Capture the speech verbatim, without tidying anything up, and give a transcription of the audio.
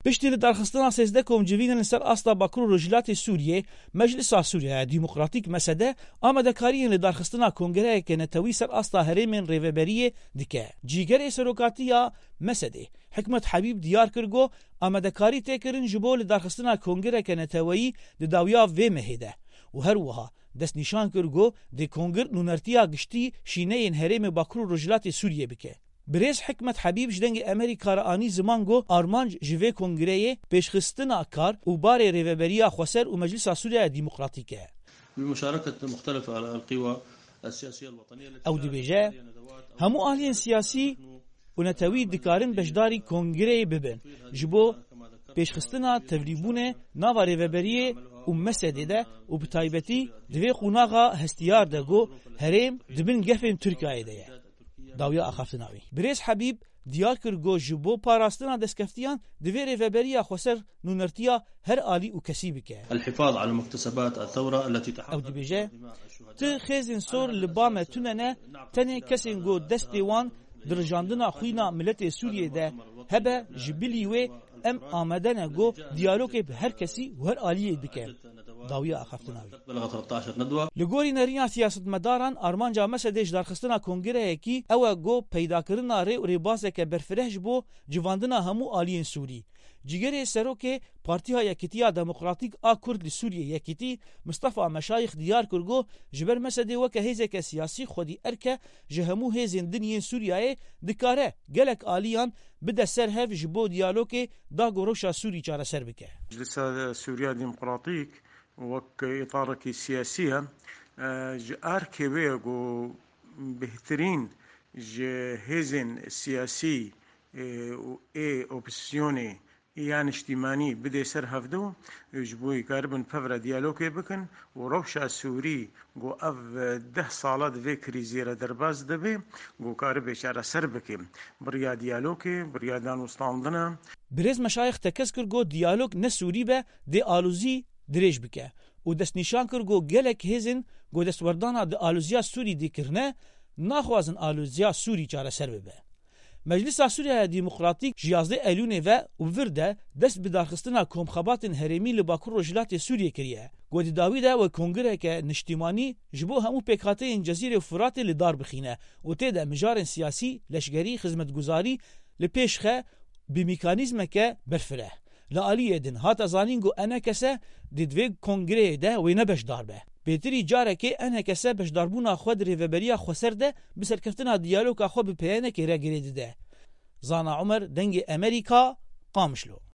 Piştî li darxistina sêzdeh kom civînên li ser asta Bakur û Rojhilatê Sûriyê, Meclisa Sûriya Demokratîk, mesede, amadekariyên li darxistina kongreyeke netewî ser asta herêmên rêveberiyê dike. Cîgerê serokatiya mesedê, Hikmet Hebîb, diyar kir ku amadekarî tê kirin ji bo li darxistina kongreyeke neteweyî di dawiya vê mehê de û her wiha destnîşan kir ku dê kongir nûnertiya giştî şîneyên herêmê Bakur û Rojhilatê Sûriyê bike. Birêz Hikmet Hebîb ji Dengê Amerîka re anî ziman ku armanc ji vê kongreyê pêşxistina kar û barê Rêveberiya Xweser û Meclisa Sûriya Demokratîk e. بمشاركة مختلف القوى السياسية الوطنية التي Ew dibêje, hemû aliyên siyasî û netewî dikarin beşdarî kongreyê bibin. Ji bo pêşxistina tevlîbûnê nava rêveberiyê û mesedê de û bi taybetî di vê qonaxa hestiyar de ku herêm di bin gefên Tirkiyeyê de ye. Dawiya axaftina wî. Birêz Hebîb diyar kir ku ji bo parastina destkeftiyan divê Rêveberiya Xweser nûnertiya her alî û kesî bike. الحفاظ على مكتسبات الثورة التي Ew تحققت dibêje, بها الشهداء. Ti xêzên sor li ba me tune ne, tenê kesên ku destê wan di rijandina xwîna miletê Sûriyê de hebe, ji bilî wê em amade ne ku diyalogê bi her kesî û her aliyê bikin. Dawiya axaftina wî. بلغت ثلاثطعش ندوة. Li gorî nerîna siyasetmedaran, armanca mesedê ji darxistina kongreyekî ew e ku peydakirina rê û rêbazeke berfireh ji bo civandina hemû aliyên Sûrî. Cîgerê serokê Partiya Yekîtiya Demokratîk a Kurd li Sûriyê, Yekîtî, Mistefa Meşayix, diyar kir ku ji ber mesedê weke hêzeke siyasî xwedî erke ji hemû hêzên din yên Sûriyeyê dikare gelek aliyan bide ser hev ji bo diyalogê da ku rewşa Sûrî çareser bike. Meclisa Sûriya Demokratîk wek îtarekî siyasî ye, e, ji erkê wê ye ku bêhtirîn ji hêzên siyasî, e, û ê opozîsyonê ya niştîmanî bidê ser hevdu, ji bo karibin pevre diyalogê bikin û rewşa Sûrî ku ev deh sala di vê krîzê re derbas dibe, ku karibe çareser bike. Bi riya diyalogê, bi riya danûstandina. Birêz Meşayix tekez kir ku diyalog ne Sûrî be, dê alozî dirêj bike û destnîşan kir ku gelek hêzên ku destwerdana di aloziya Sûrî dê kirine, naxwazin aloziya Sûrî çareser bibe. Meclisa Sûriya Demokratîk ji yazdeh Eylûnê ve û bi vir de dest bi darxistina komxebatên herêmî li Bakur Rojhilatê Sûriyê kiriye. Ku di dawî de wek kongreke niştîmanî ji bo hemû pêkhateyên Cezîrê û Firatê li dar bixîne û tê de mijarên siyasî, leşgerî, xizmetguzarî li pêş xe bi mekanîzmeke berfireh. Li aliyê din hate zanîn ku E N K S dê di vê kongreyê de wê ne beşdar be. Pêtirî carekê E N K S beşdarbûna xwe di Rêveberiya Xweser de bi serkeftina diyaloga xwe bi P Y N K re girê dide. Zana Umer, Dengê Amerîka, Qamişlo.